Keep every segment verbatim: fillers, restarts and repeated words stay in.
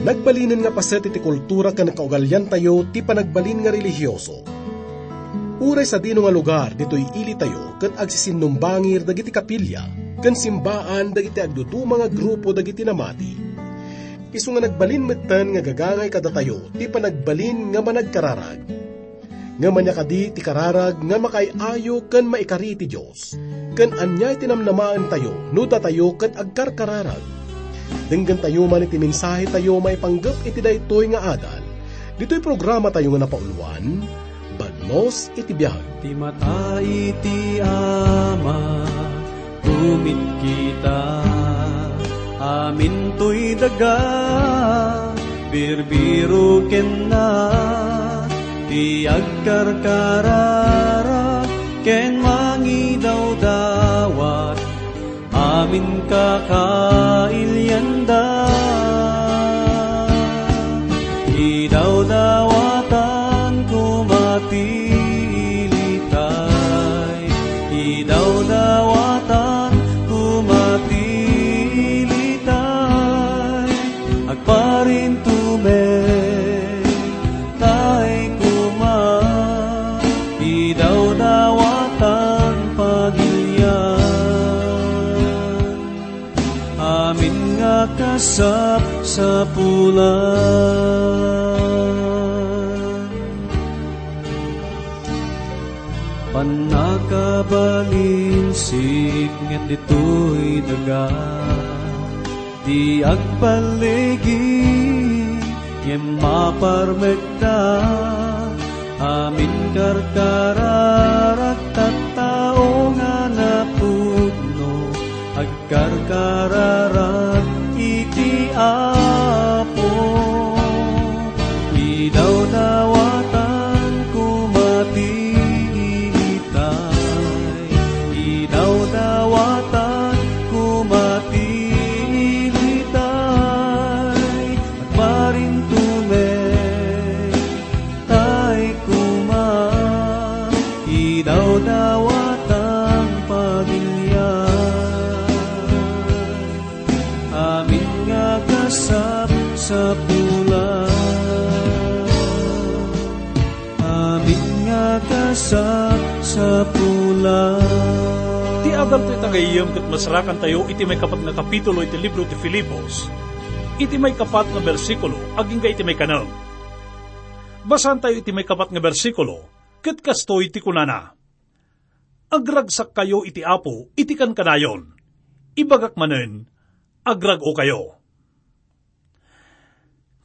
Nagbalinen nga paset iti kultura ken kaugaliantayo ti panagbalin nga relihioso. Uray sadino nga lugar ditoy ilitayo ket agsisinumbangir dagiti kapilya ken simbaan dagiti agduduma nga grupo dagiti namati. Isu nga nagbalin metten nga gagangay kadatayo ti panagbalin nga managkararag. Ngem ania kadi ti kararag nga makaay-ayo ken maikari iti Dios? Ken ania ti namnamaentayo no datayo ket agkarkararag? Denggentayo man iti mensahetayo maipanggep iti daytoy nga adal. Ditoy programatayo nga napauloan, Bagnos iti Biag. Ti mata iti Ama, kumitkita, amintoy daga, birbiro kenna, ti agkarkararag ken mangidawdawat, amin kakailianda. Idawdawatan koma ti ilitay, idawdawatan koma ti ilitay, agparintumek tay koma, idawdawatan pagilian. Amin nga kasapsapulan. Pannakabalin sipnget ditoy daga, ti agpalligi ngem maparmekta, amin karkararag tattao nga napudno, agkarkararag iti Apo. Idawdawatan koma ti ilitay, idawdawatan koma ti ilitay, agparintumek tay koma, idawdawatan pagilian. Amin nga kasapsapulan. Amin nga kasapsapulan. Ti adaltayo tagayem ket masarakantayo iti maikapat nga kapitulo iti libro ti Filipos, iti maikapat nga bersikulo agingga iti maikanem. Basaantayo iti maikapat nga bersikulo, ket kastoy ti kunana, "Agragsakkayo iti Apo iti kankanayon. Ibagak manen, agrag-okayo."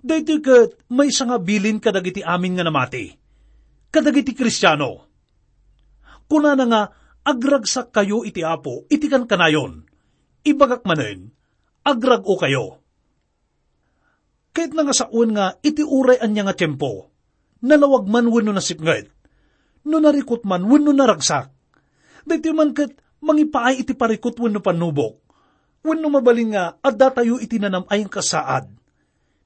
Daytoy ket maysa nga bilin kadagiti amin nga namati, kadagiti Kristiano. Kunana nga, "Agragsakkayo iti Apo iti kankanayon. Ibagak manen, agrag-okayo." Kayatna nga sawen nga iti uray ania nga tiempo, nalawag man wenno nasipnget, no narikut man wenno naragsak, daytoy man ket mangipaay iti parikut wenno pannubok, wenno mabalin nga addatayo iti nanam-ay nga kasaad.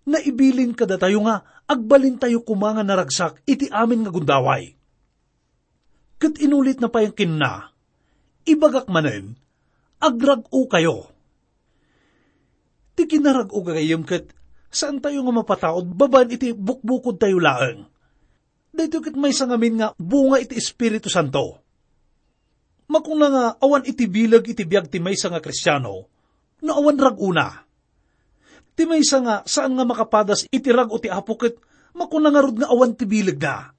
Naibilin kadatayo nga agbalintayo koma nga naragsak iti amin nga gundaway. Ket inulitna pay kenna, "Ibagak manen, agrag-okayo." Ti kinarag-o gagayyem ket saantayo nga mapataud babaen iti bukbukodtayo laeng. Daytoy ket maysa ngamin nga bunga iti Espiritu Santo. Makuna nga awan iti bileg iti biag ti maysa nga Kristiano no awan rag-ona. Ti maysa nga saan nga makapadas iti rag-o ti Apo ket makuna ngarud nga awan ti bilegna.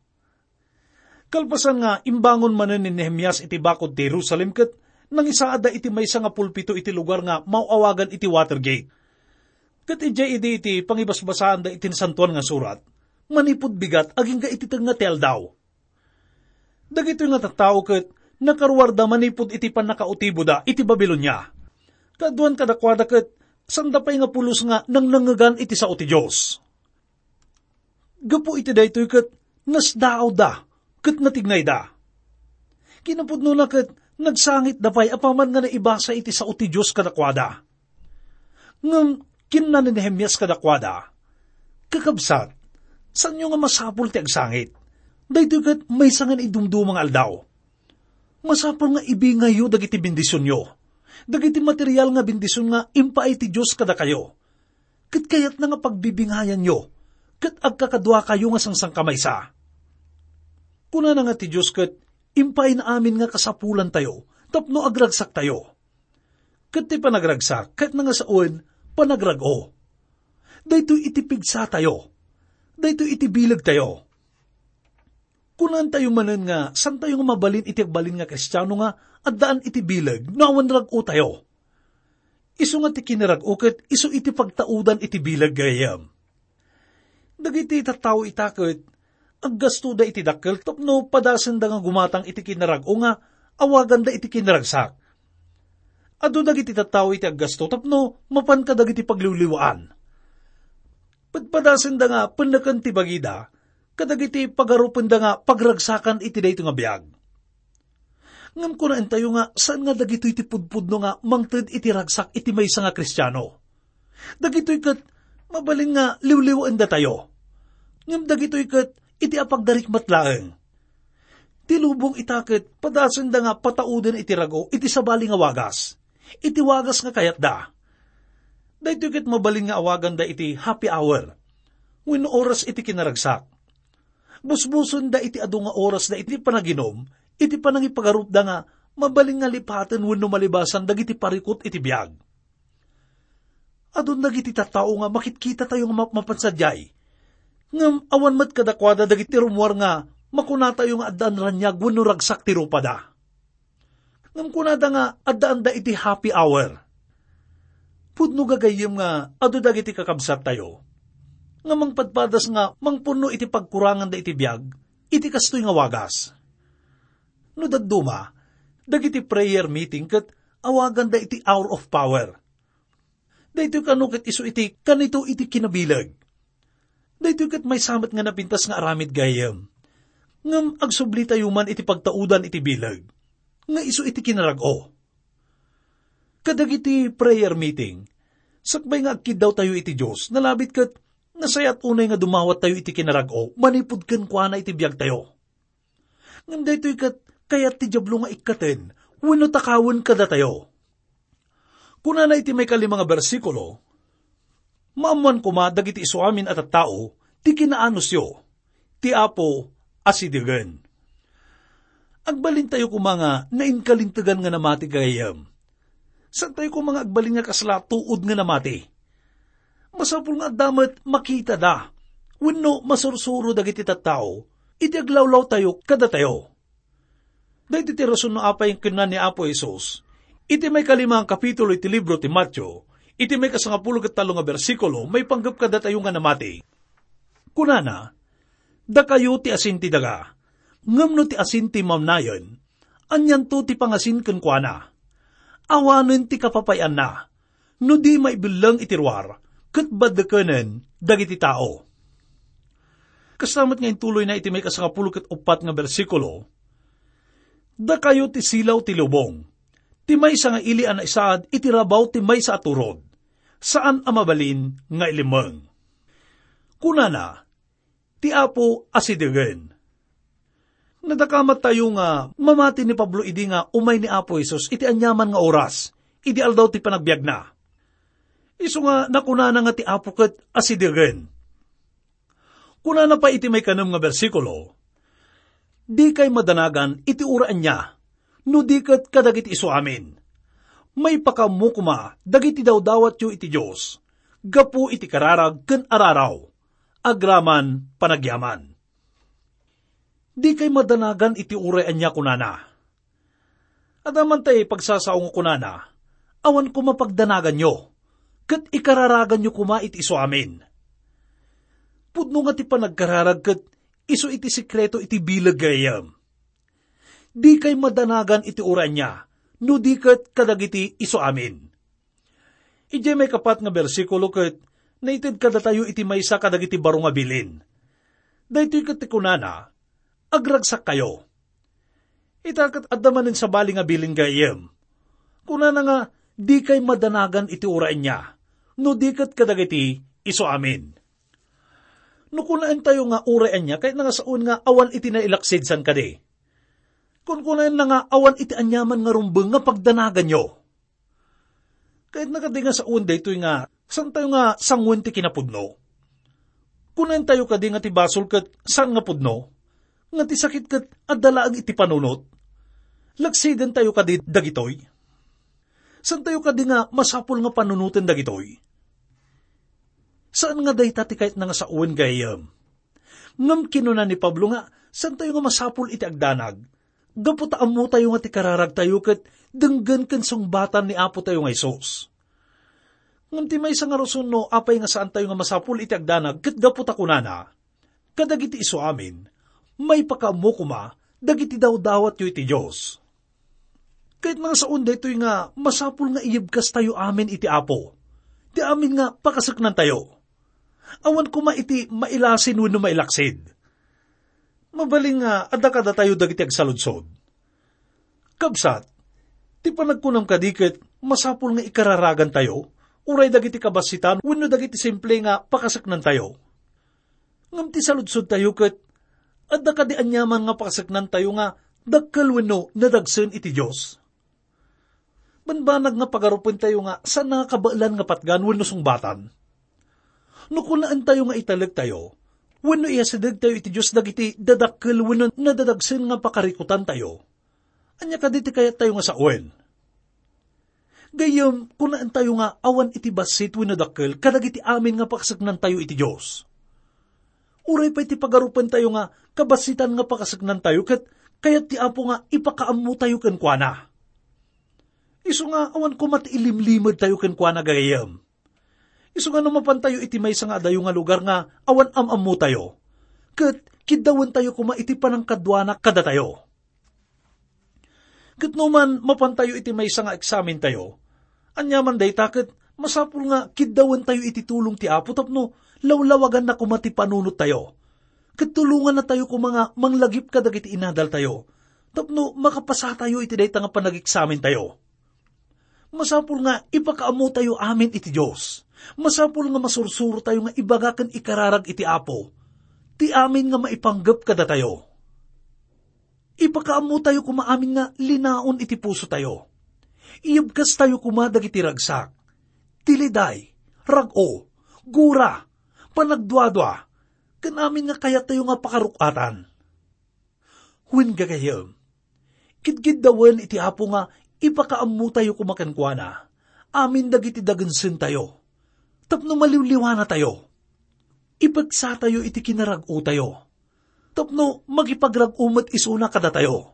Kalpasan nga imbangon manen ni Nehemias iti bakod ti Jerusalem ket nangisaadda iti maysa nga pulpito iti lugar nga maaw-awagan iti Watergate. Ket idiay idi iti pangibasbasaanda iti Nasantoan nga Surat, manipud bigat agingga iti tengnga ti aldaw. Dagitoy nga tattao ket nakaruarda manipud iti pannakautiboda iti Babilonia. Kaaduan kadakuada ket sanda pay nga pulos nga nangnengngegan iti sao ti Dios. Gapu iti daytoy ket nasdaawda ket natignayda. Kinapudnona ket nagsangitda pay apaman nga naibasa iti sao ti Dios kadakuada. Ngem kinuna ni Nehemias kadakuada, "Kakabsat, saanyo nga masapul ti agsangit. Daytoy ket maysa nga naidumduma nga aldaw. Masapul nga ibingayyo dagiti bendisionyo, dagiti material nga bendision nga impaay ti Dios kadakayo. ket kayatna nga pagbibingayanyo, ket agkakaduakayo nga sangsangkamaysa. Kunana nga ti Dios ket impaayna amin nga kasapulantayo tapno agragsaktayo. Ket ti panagragsak ket nangasaon panagrag-o. Daytoy iti pigsatayo. Daytoy iti bilegtayo. Kunantayo manen nga santayo nga mabalin iti agbalin nga Kristiano nga addaan iti bileg no awan rag-o tayo. Isu nga ti kinarag-o ket isu iti pagtaudan iti bileg, gayyem. Dagiti tattao ita ket aggastoda iti dakkel tapno padasenda nga gumatang iti kinarag-o nga awaganda iti kinaragsak. Adu dagiti tattao iti aggasto tapno mapan kadagiti pagliwliwaan. Padpadasenda nga penneken ti bagida kadagiti pagarupenda nga pagragsakan iti daytoy nga biag. Ngem kunaentayo nga saan nga dagitoy ti pudpudno nga mangted iti ragsak iti maysa nga Kristiano. Dagitoy ket mabalin nga liwliwaendatayo. Ngem dagitoy ket iti apagdarikmat laeng. Ti lubong ita ket padasenda nga patauden iti rag-o iti sabali nga wagas, iti wagas nga kayatda. Daytoy ket mabalin nga awaganda iti happy hour wenno oras iti kinaragsak. Busbusonda iti adu nga orasda iti panaginum, iti panangipagarupda nga mabalin nga lipaten wenno malibasan dagiti parikut iti biag. Adun dagiti tattao nga makitkitatayo nga mapmapan sadiay. Ngem awan met kadakuada dagiti rummuar nga makunatayo nga addaan raniag wenno ragsak ti rupada. Ngem kunada nga addaanda iti happy hour. Pudno gagayyem nga adu dagiti kakabsattayo nga mangpadpadas nga mangpunno iti pagkuranganda iti biag iti kastoy nga wagas. No dadduma, dagiti prayer meeting ket awaganda iti hour of power. Daytoy kano ket isu iti kanito iti kinabileg. Daytoy ket maysa met nga napintas nga aramid gayyem. Ngem agsublitayo man iti pagtaudan iti bileg nga isu iti kinarag-o. Kadagiti prayer meeting, sakbay nga agkiddawtayo iti Dios, nalabit ket nasayaat unay nga dumawattayo iti kinarag-o manipud kenkuana iti biagtayo. Ngem daytoy ket kayat ti Diablo nga ikkaten wenno takawen kadatayo. Kunana iti maikalima nga bersikulo, "Maammoan koma dagiti isuamin a tattao ti kinaanusyo, ti Apo asidegen." Agbalintayo koma nga nainkalintegan nga namati, gayyem. Saantayo koma nga agbalin nga kasla tuod nga namati. Masapul nga adda met makitada wenno masursuro dagiti tattao iti aglawlawtayo kadatayo. Daytoy ti rason no apay kinuna ni Apo Jesus iti maikalima nga kapitulo iti libro ti Mateo, iti maikasangapulo ket tallo nga bersikulo, maipanggep kadatayo nga namati. Kunana, "Dakayo ti asin ti daga, ngem no ti asin ti mamnayen, anianto ti pangasin kenkuana? Awanen ti kapapay-anna, no di maibelleng iti ruar ket baddekenen dagiti tao." Kasta met nga intuloyna iti maikasangapulo ket uppat nga bersikulo, "Dakayo ti silaw ti lubong, ti maysa nga ili a naisaad iti rabaw ti maysa a turod, saan a mabalin nga ilimmeng." Kunana, "Ti Apo asidegen." Nadakamat tayo nga mamati ni Pablo idi nga umay ni Apo Jesus iti aniaman nga oras idi aldaw ti panagbiagna. Isu nga nakunana nga ti Apo ket asidegen. Kunana pay iti maikanem nga bersikulo, "Dikay madanagan iti uray ania, no di ket kadagiti isuamin. Maipakaammo koma dagiti dawdawatyo iti Dios gapu iti kararag ken araraw, agraman panagyaman." Dikay madanagan iti uray ania kunana. Adda man tay pagsasao nga kunana, "Awan koma pagdanaganyo, ket ikararaganyo koma iti isuamin." Pudno nga ti panagkararag ket isu iti sekreto iti bileg, gayyem. Dikay madanagan iti uray ania, no di ket kadagiti isuamin. Idiay maikapat nga bersikulo ket naited kadatayo iti maysa kadagiti baro nga bilin. Daytoy ket ti kunana, "Agragsakkayo." Ita ket adda manen sabali nga bilin, gayyem. Kunana nga, "Dikay madanagan iti uray ania, no di ket kadagiti isuamin." No kunaentayo nga uray ania, kayatna nga saon nga awan iti nailaksid, saan kadi? Kunkunaenna nga awan iti aniaman nga rumbeng nga pagdanaganyo. Kayatna kadi nga saon daytoy nga Saantayo nga sangoen ti kinapudno. Kunaentayo kadi nga ti basol ket saan nga pudno, nga ti sakit ket adda laeng iti panunot? Lagsidentayo kadi dagitoy? Saantayo kadi nga masapul nga panunoten dagitoy? Saan nga dayta ti kayatna nga sawen, gayyem. Ngem kinuna ni Pablo nga saantayo nga masapul iti agdanag, gapu ta ammotayo nga ti kararagtayo ket denggen ken sungbatan ni Apotayo nga Jesus. Ngem ti maysa nga rason no apay nga saantayo nga masapul iti agdanag ket gapu ta kunana, "Kadagiti isu amin, maipakaammo koma dagiti dawdawatyo iti Dios." Ket nga saon daytoy nga masapul nga iyebkastayo amin iti Apo, ti amin nga pakaseknantayo. Awan koma iti mailasin wenno mailaksid. Mabalin nga adda kadatayo dagiti agsaludsod. Kabsat, ti panagkunam kadi ket masapul nga ikararagantayo, uray dagiti kabassitan wenno dagiti simple nga pakaseknantayo. Ngem ti saludsodtayo ket, adda kadi aniaman nga pakaseknantayo nga dakkel wenno nadagsen iti Dios? Banbanag nga pagarupentayo nga saan nga kabaelan nga patgan wenno sungbatan. No kunaentayo nga italektayo, wenno iyasidegtayo iti Dios dagiti dadakkel wenno nadadagsen nga pakarikutantayo, ania kadi ti kayattayo nga sawen? Gayyem, kunaentayo nga awan iti bassit wenno dakkel kadagiti amin nga pakaseknantayo iti Dios. Uray pay ti pagarupentayo nga kabassitan nga pakaseknantayo ket kayat ti Apo nga ipakaammotayo kenkuana. Isu nga awan koma ti ilimlimedtayo kenkuana, gayyem. Isu nga no mapantayo iti maysa nga adayo nga lugar nga awan am-ammotayo, ket kiddawentayo koma iti panangkaduana kadatayo. Ket no man mapantayo iti maysa nga eksamentayo, aniaman dayta ket masapul nga kiddawentayo iti tulong ti Apo tapno lawlawaganna koma ti panunottayo. Ket tulongannatayo koma nga manglagip kadagiti inadaltayo tapno makapasatayo iti dayta nga panageksamentayo. Masapul nga ipakaammotayo amin iti Dios. Masapul nga masursurotayo nga ibaga ken ikararag iti Apo ti amin nga maipanggep kadatayo. Ipakaammotayo koma amin nga linaon iti pusotayo. Iyebkastayo koma dagiti ragsak, ti liday, rag-o, gura, panagduadua, ken amin nga kayattayo nga pakaruk-atan. Wen, gagayyem, kidkiddawen iti Apo nga ipakaammotayo koma kenkuana amin dagiti dagensentayo, tapno maliwliwanatayo. Ipegsatayo iti kinarag-otayo, tapno makipagrag-o met isuna kadatayo.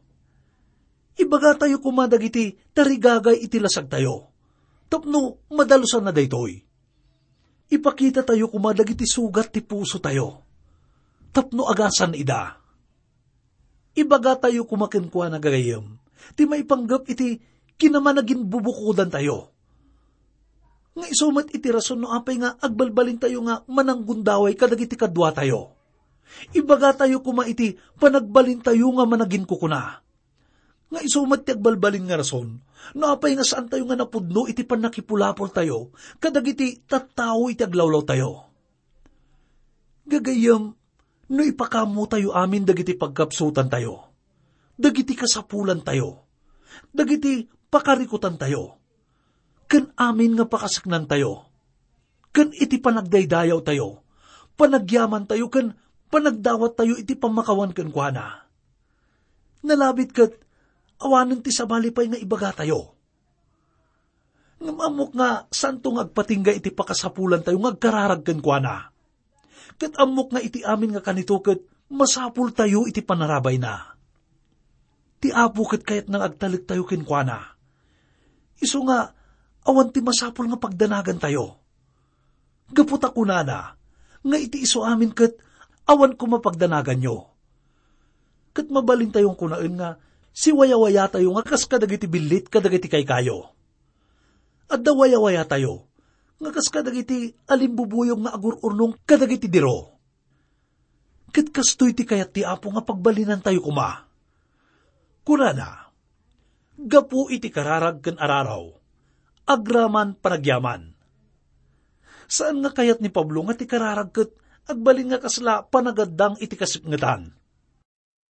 Ibagatayo koma dagiti tarigagay iti lasagtayo, tapno madalusanna daytoy. Ipakitatayo koma dagiti sugat ti pusotayo, tapno agasan ida. Ibagatayo koma kenkuana, gagayyem, ti maipanggep iti kinamanaginbubukodantayo. Nga isu met iti rason no apay nga agbalbalintayo nga mananggundaway kadagiti kaduatayo. Ibagatayo koma iti panagbalintayo nga managinkukuna. Nga isu met ti agbalbalin nga rason no apay nga saantayo nga napudno iti pannakipulapoltayo kadagiti tattao iti aglawlawtayo. Gagayyem, no ipakaammotayo amin dagiti pagkapsutantayo, dagiti kasapulantayo, dagiti pakarikutantayo, ken amin nga pakaseknantayo, ken iti panagdaydayawtayo, panagyamantayo, ken panagdawattayo iti pammakawan kenkuana. Nalabit ket awanen ti sabali pay nga ibagatayo. Ngem ammok nga saanto nga agpatingga iti pakasapulantayo nga agkararag kenkuana. Ket ammok nga iti amin nga kanito ket masapultayo iti panarabayna. Ti Apo ket kayatna nga agtalektayo kenkuana. Isu nga awan ti masapul nga pagdanagantayo. Gapu ta kunana nga iti isu amin ket awan koma pagdanaganyo. Ket mabalintayo nga kunaen nga siwayawayatayo nga kas kadagiti billit kadagiti kaykayo. Adda wayawayatayo nga kas kadagiti alimbubuyog nga agur-urnong kadagiti diro. Ket kastoy ti kayat ti Apo nga pagbalinantayo koma. Kunana, gapu iti kararag ken araraw, agraman panagyaman. Saan nga kayat ni Pablo nga ti kararag ket agbalin nga kasla panagaddang iti kasipngetan.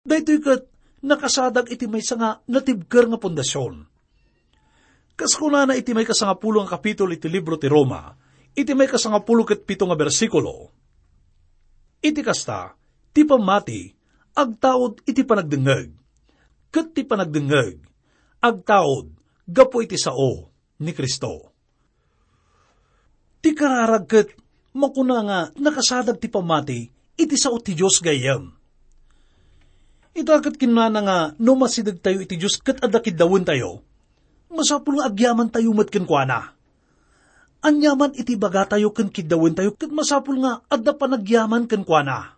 Daytoy ket nakasadag iti maysa nga natibker nga pundasion. Kas kunana iti maikasangapulo nga kapitulo iti libro ti Roma, Iti maikasangapulo ket pito nga bersikulo, iti kasta, ti pammati agtaud iti panagdengngeg, ket ti panagdengngeg agtaud gapu iti sao ni Cristo. Ti kararag ket makuna nga nakasadag ti pammati iti sao ti Dios gayyem. Ita ket kinunana nga no masidegtayo iti Dios ket adda kiddawentayo, masapul nga agyamantayo met kenkuana. Aniaman iti bagatayo ken kiddawentayo ket masapul nga adda panagyaman kenkuana.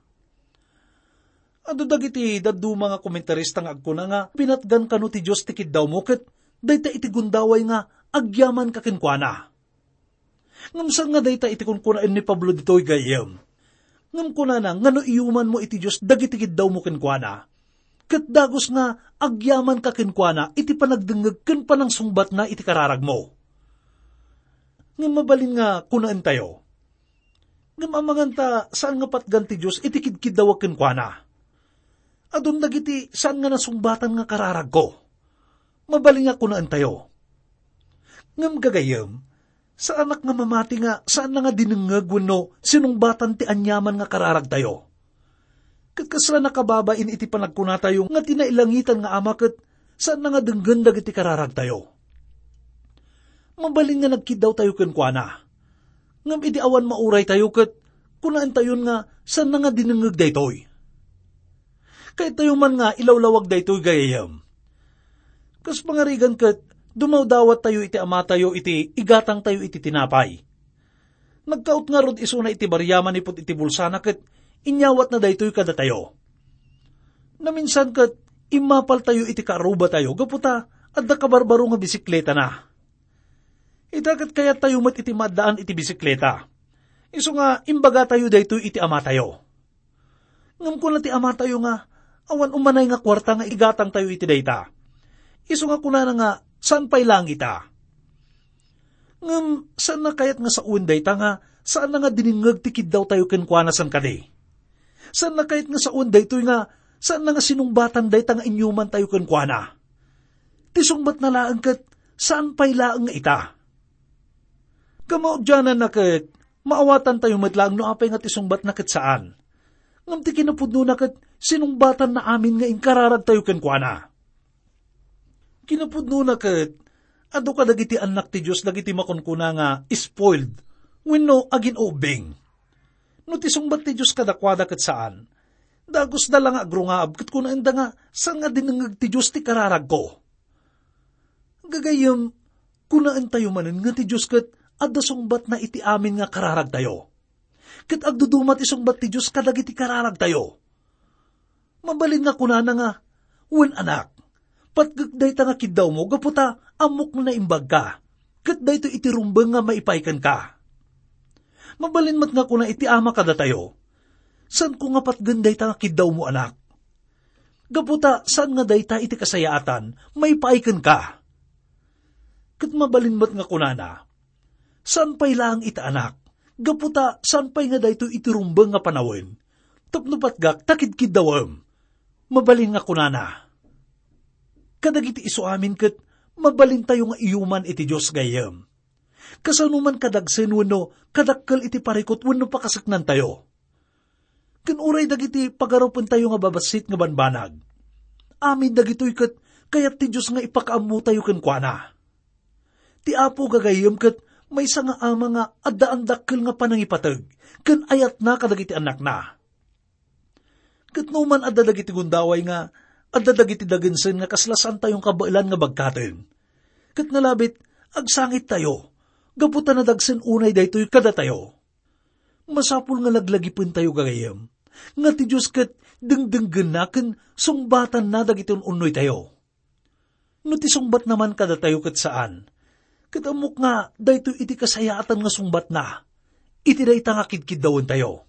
Adu dagiti dadduma nga komentarista nga agkuna nga pinatgan kano ti Dios ti kiddawmo ket dayta iti gundaway nga agyamanka kenkuana. Ngem saan nga dayta iti kunkunaen ni Pablo ditoy gayyem. Ngem kunana nga no iyumanmo iti Dios dagiti kiddawmo kenkuana, ket dagus nga agyamanka kenkuana iti panagdengngeg ken panangsungbatna iti kararagmo. Ngem mabalin nga kunaentayo, ngem amangan ta saan nga patgan ti Dios iti kidkiddawak kenkuana. Adun dagiti saan nga nasungbatan nga kararagko. Mabalin nga kunaentayo. Ngem gagayyem, saanak nga mamati nga saanna nga dinengngeg wenno sinungbatan ti aniaman nga kararagtayo. Ket kasla nakababain iti panagkunatayo nga ti nailangitan nga Ama ket saanna nga denggen dagiti kararagtayo. Mabalin nga nagkiddawtayo kenkuana. Ngem idi awan mauraytayo ket kunaentayon nga saanna nga dinengngeg daytoy. Kayatyo man nga ilawlawag daytoy gayyem. Kas pangarigan ket dumawdawattayo iti amatayo iti igatangtayo iti tinapay. Nagkaut ngarud isuna iti baria manipud iti bulsana ket inyawatna daytoy kadatayo. Naminsan ket immapaltayo iti kaarrubatayo gapu ta adda kabarbaro nga bisikletana. Ita ket kayattayo met iti maaddaan iti bisikleta. Isu nga imbagatayo daytoy iti amatayo. Ngem kuna ti amatayo nga, awan umanay nga kuarta nga igatangtayo iti dayta. Isu nga kunana nga, saan pay laeng ita. Ngem saanna kayat nga sawen dayta nga saanna nga dinengngeg ti kiddawtayo kenkuana, saan kadi? Saanna kayat nga sawen daytoy nga saanna nga sinungbatan dayta nga inyumantayo kenkuana? Ti sungbatna laeng ket saan pay laeng nga ita. Kamaudiananna ket, maawatantayo met laeng no apay nga ti sungbatna ket saan. Ngem ti kinapudnona ket sinungbatanna amin nga inkararagtayo kenkuana. Kinapudnona ket, adu kadagiti annak ti Dios dagiti makunkuna nga spoiled wenno agin-ubbing. No ti sungbat ti Dios kadakuada ket saan, dagusda la nga agrungaab ket kunaenda nga, saan nga dinengngeg ti Dios ti kararagko. Gagayyem, kunaentayo manen nga ti Dios ket adda sungbatna iti amin nga kararagtayo. Ket agduduma ti sungbat ti Dios kadagiti kararagtayo. Mabalin nga kunana nga, "Wen, anak, patgek dayta nga kiddawmo gapu ta ammok nga naimbagka, ket daytoy iti rumbeng nga maipaay kenka." Mabalin met nga kuna iti ama kadatayo, "Saanko nga patgen dayta nga kiddawmo, anak. Gapu ta saan nga dayta iti kasayaatan maipaay kenka." Ket mabalin met nga kunana, "Saan pay laeng ita, anak, gapu ta saan pay nga daytoy iti rumbeng nga panawen, tapno patgak ta kidkiddawem." Mabalin nga kunana, kadagiti isu amin ket mabalintayo nga iyuman iti Dios gayyem. Kasano man kadagsen wenno kadakkel iti parikut wenno pakaseknantayo. Ken uray dagiti pagarupentayo nga babassit nga banbanag. Amin dagitoy ket kayat ti Dios nga ipakaammotayo kenkuana. Ti Apo gagayyem ket maysa nga ama nga addaan dakkel nga panangipateg ken ayatna kadagiti annakna. Ket no man adda dagiti gundaway nga adda dagiti dagensen nga kasla saantayon kabaelan nga bagkaten, ket nalabit, agsangittayo, gapu ta nadagsen unay daytoy kadatayo. Masapul nga laglagipentayo gagayyem, nga ti Dios ket dengdenggenna ken sungbatanna dagiti un-unnoytayo. No ti sungbatna man kadatayo ket saan, ket ammok nga daytoy iti kasayaatan nga sungbatna iti dayta nga kidkiddawentayo.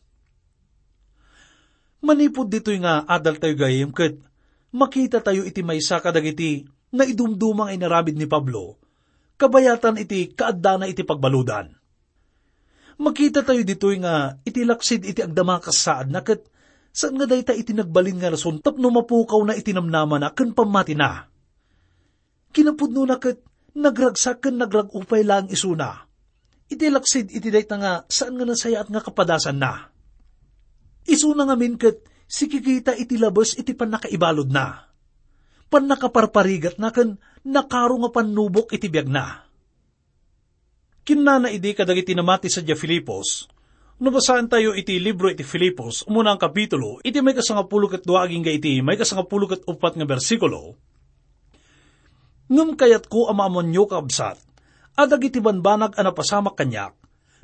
Manipud ditoy nga adaltayo gayam ket makitatayo iti maysa kadagiti naidumduma nga inaramid ni Pablo, kabayatan iti kaaddana iti pagbaludan. Makitatayo ditoy nga iti laksid iti agdama kas saadna ket saan nga dayta iti nagbalin nga rason tapno mapukawna iti namnamana ken pammatina. Kinapudnona ket nagragsak ken nagrag-o pay laeng isuna. Iti laksid iti dayta nga saan nga nasayaat nga kapadasanna. Isuna ngamin ket sikikita iti labes iti pannakaibaludna. Pannakaparparigatna ken nakaro nga pannubok iti biagna. Kinnana idi kadagiti namati sadiay Filipos, no basaentayo iti libro iti Filipos, umuna a kapitulo, iti maikasangapulo ket dua agingga iti maikasangapulo ket uppat nga bersikulo, "Ngem kayatko a maammoanyo, kakabsat, a dagiti banbanag a napasamak kaniak,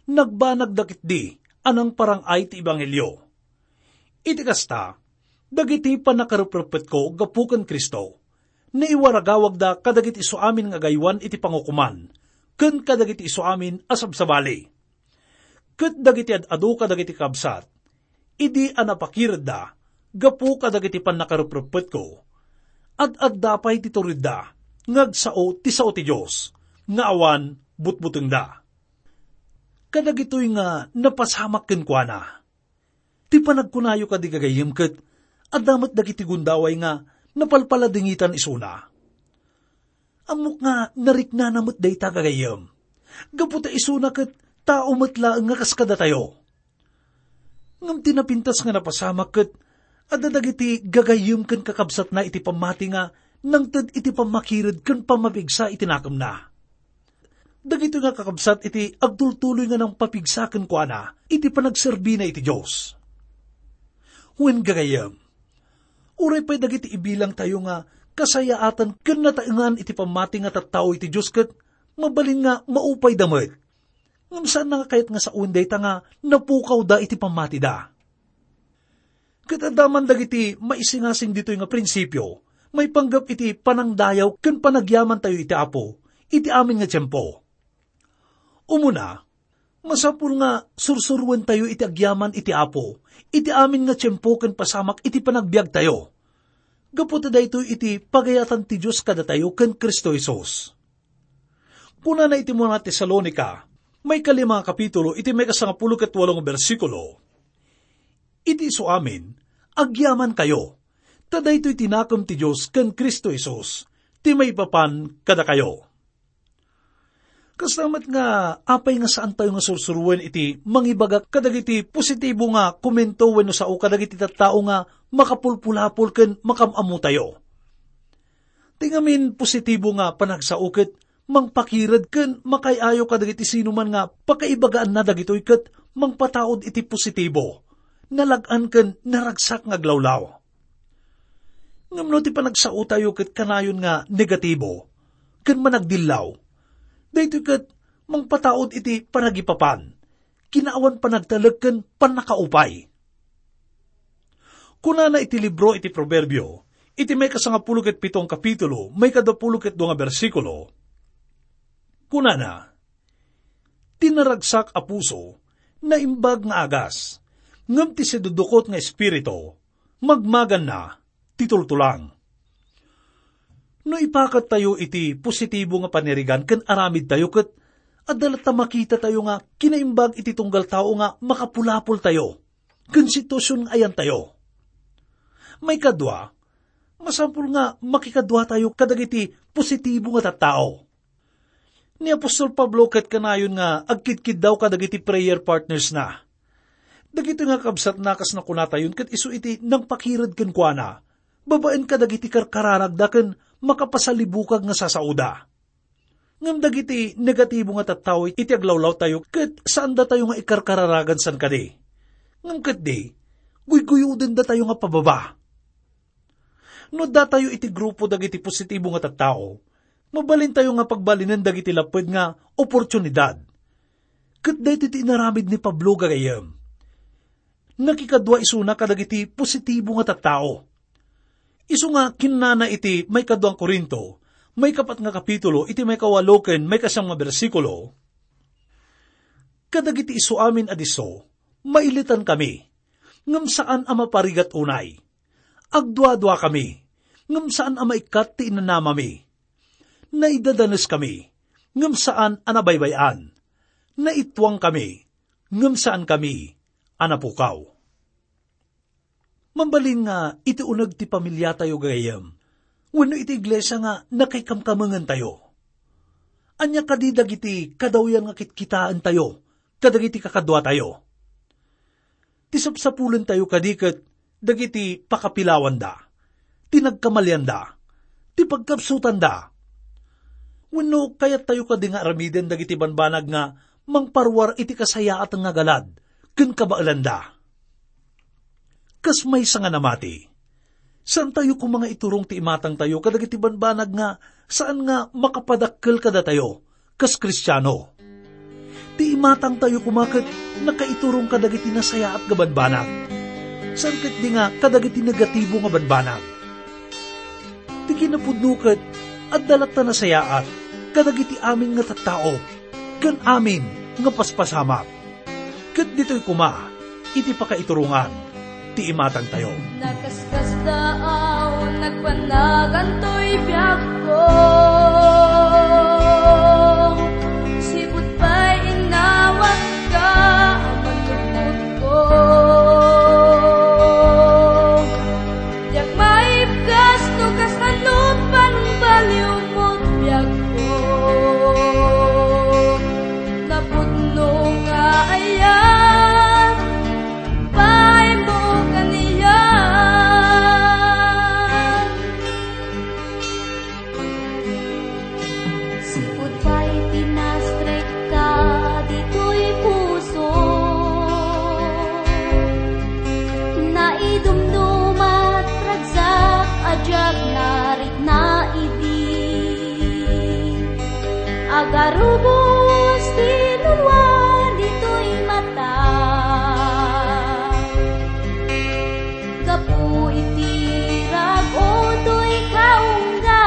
nagbanagda ketdi a nangparang-ay ti ebanghelio. Iti kasta, dagiti pannakarepreppetko gapu ken Cristo, naiwaragawagda kadagiti isuamin nga agaywan iti pangukoman, ken kadagiti isuamin a sabsabali. Ket dagiti ad-adu kadagiti kabsat, idi a napakiredda gapu kadagiti pannakarepreppetko, ad-adda pay ti turidda nga agsao ti sao ti Dios nga awan butbutengda." Kadagitoy nga napasamak kenkuana. Ti panagkunayo kadi, gagayyem, ket adda met dagiti gundaway nga napalpaladingitan isuna. Ammok nga nariknana met dayta, gagayyem, gapu ta isuna ket tao met laeng nga kas kadatayo. Ngem ti napintas nga napasamak ket adda dagiti gagayyem ken kakabsatna iti pammati nga nangted iti pammakired ken pammapigsa iti nakemna. Dagitoy nga kakabsat iti agtultuloy nga nangpapigsa kenkuana iti panagserbina iti Dios. Wen, gagayyem, uray pay dagiti ibilangtayo nga kasayaatan ken nataengan iti pammati nga tattao iti Dios ket mabalin nga maupayda met. Ngem saan nga kayat nga saoen dayta nga napukawda iti pammatida. Ket adda man dagiti maisingasing ditoy nga prinsipio maipanggep iti panangdayaw ken panagyamantayo iti Apo iti amin nga tiempo. Umuna, masapul nga sursuroentayo iti agyaman iti Apo iti amin nga tiempo ken pasamak iti panagbiagtayo, gapu ta daytoy iti pagayatan ti Dios kadatayo ken Cristo Jesus. Kunana iti umuna Tesalonica, maikalima nga kapitulo, iti maikasangapulo ket walo nga bersikulo, "Iti isuamin, agyamankayo, ta daytoy ti nakem ti Dios ken Cristo Jesus ti maipapan kadakayo." Kasta met nga, apay nga saantayo nga sursuroen iti mangibaga kadagiti positibo nga komento wenno sao kadagiti tattao nga makapulpulapol ken makam-ammotayo? Ti ngamin positibo nga panagsao ket mangpakired ken makaay-ayo kadagiti sinuman nga pakaibagaanna dagitoy ket mangpataud iti positibo, nalag-an ken naragsak nga aglawlaw. Ngem no ti panagsaotayo ket kanayon nga negatibo ken managdillaw, daytoy ket mangpataud iti panagipapan, kinaawan panagtalek ken pannakaupay. Kunana iti libro iti Proverbio, iti maikasangapulo ket pito nga kapitulo, maikaduapulo ket dua nga bersikulo, kunana, "Ti naragsak a puso, naimbag nga agas, ngem ti sidudukot nga espiritu, magmaganna ti tultulang." No ipakattayo iti positibo nga panirigan ken aramidtayo, ket adda latta makitatayo nga kinaimbag iti tunggal tao nga makapulapoltayo ken sitwasyon nga ayantayo. Maikadua, masapul nga makikaduatayo kadagiti positibo nga tattao. Ni apostol Pablo ket kanayon nga agkidkiddaw kadagiti prayer partners na. Dagitoy nga kabsatna, kas nakunatayon, ket isu iti nangpakired kenkuana babaen kadagiti karkararagda ken makapasalibukag nga sasaoda. Ngem dagiti negatibo nga tattao iti aglawlawtayo ket saandatayo nga ikarkararagan san kadi. Ngem ketdi, guyguyodendatayo nga pababa. No datayo iti grupo dagiti positibo nga tattao, mabalintayo nga pagbalinen dagiti lapped nga oportunidad. Ket daytoy ti inaramid ni Pablo, gagayyem. Nakikadua isuna kadagiti positibo nga tattao. Isu nga kinnana iti maikaduang Corinto, maikapat nga kapitulo, iti maikawalo ken maikasam nga bersikulo, "Kadagiti isuamin a disso, mailitankami, ngem saan a maparigat unay. Agduaduakami, ngem saan a maikkat ti inanamami. Naidadaneskami, ngem saan a nabaybay-an. Naittuangkami, ngem saankami a napukaw." Mabalin nga iti uneg ti pamiliatayo, gagayyem, wenno iti iglesia nga nakaikamkamengentayo, Ania kadi dagiti kadawyan nga kitkitaentayo kadagiti kakaduatayo? Ti sapsapulentayo kadi ket dagiti pakapilawanda, ti nagkamalianda, ti pagkapsutanda. Wenno, kayattayo kadi nga aramiden dagiti banbanag nga mangparuar iti kasayaat nga galad ken kabaelanda? Kas maysa nga namati, saantayo koma nga iturong ti imatangtayo kadagiti banbanag nga saan nga makapadakkel kadatayo kas Kristiano. Ti imatangtayo koma ket nakaiturong kadagiti nasayaat nga banbanag, saan ketdi nga kadagiti negatibo nga banbanag. Ti kinapudno ket adda latta nasayaat kadagiti amin nga tattao ken amin nga paspasamak. Ket ditoy koma iti pakaiturongan ti imatangtayo. Nakaskasdaaw, nagbanagantoy biagko. Sipud pay innawatka a manlukotko. Diak maibkas no kasano pang baliw mo't biagko. Napudno nga aya pay mo kaniak. Sipud pay ti nastrekka ditoy puso, naidumdumat ragsak a diak narikna idi. Agarubos ti nunua ditoy mata. Gapu iti rag-o toy kaungga.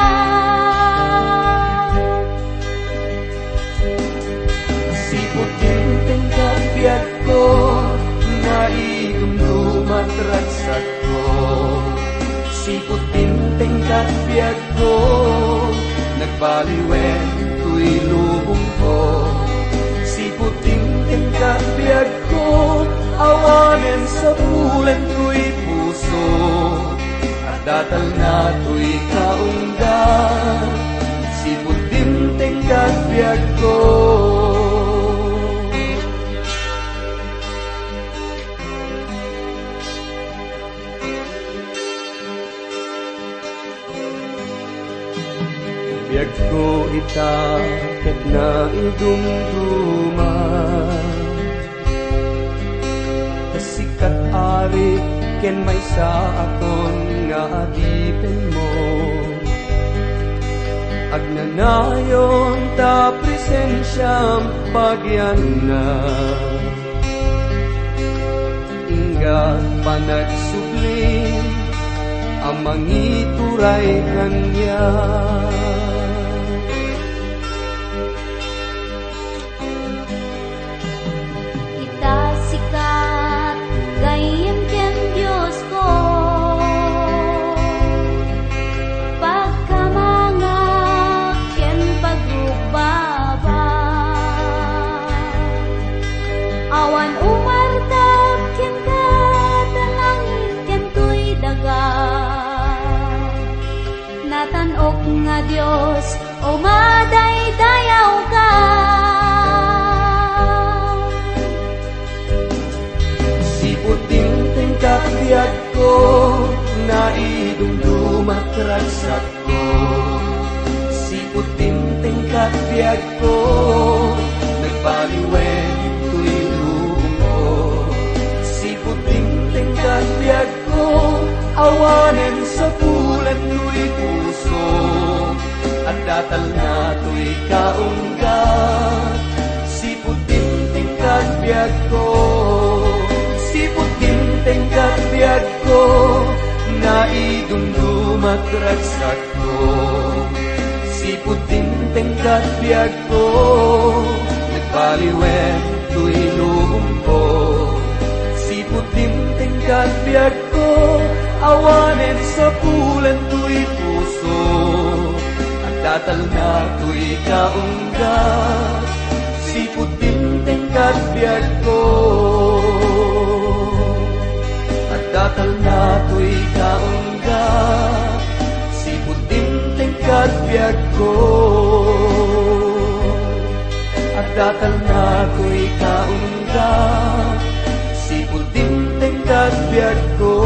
Sipud dimteng ket biagko, naidumdumat ragsakko. Sipud dimteng ket biagko, nagbaliwen toy lubongko. Sipud dimteng ket biagko, awanen sapulen toy puso. Adda talna toy kaungga, sipud dimteng ket biagko. Biagko ita ket naidumduma. Ta sika, Ari, ken maysa a kon nga adipenmo. Agnanayon ta presensiam pagianna. Ingga panagsubli a mangituray kaniak. Ita sika, gayyem ken Diosko, pagkamangak ken pagrugbabak. Awan umartak kenka ta langit ken toy daga. Natan-ok nga Dios, umadaydayawka. Sipud dimteng ket biagko, naidumdumat ragsakko. Sipud dimteng ket biagko, nagbaliwen toy lubongko. Sipud dimteng ket biagko, awanen sapulen toy puso. Adda talna toy kaungga, sipud dimteng ket biagko. Sipud dimteng ket biagko, naidumdumat ragsakko. Sipud dimteng ket biagko, nagbaliwen toy lubongko. Sipud dimteng ket biagko, awanen sapulen toy puso. Adda talna toy kaungga, sipud dimteng ket biagko. Adda talna toy kaungga, sipud dimteng ket biagko. Datannakoy kaunda, sipud dimteng ket biagko,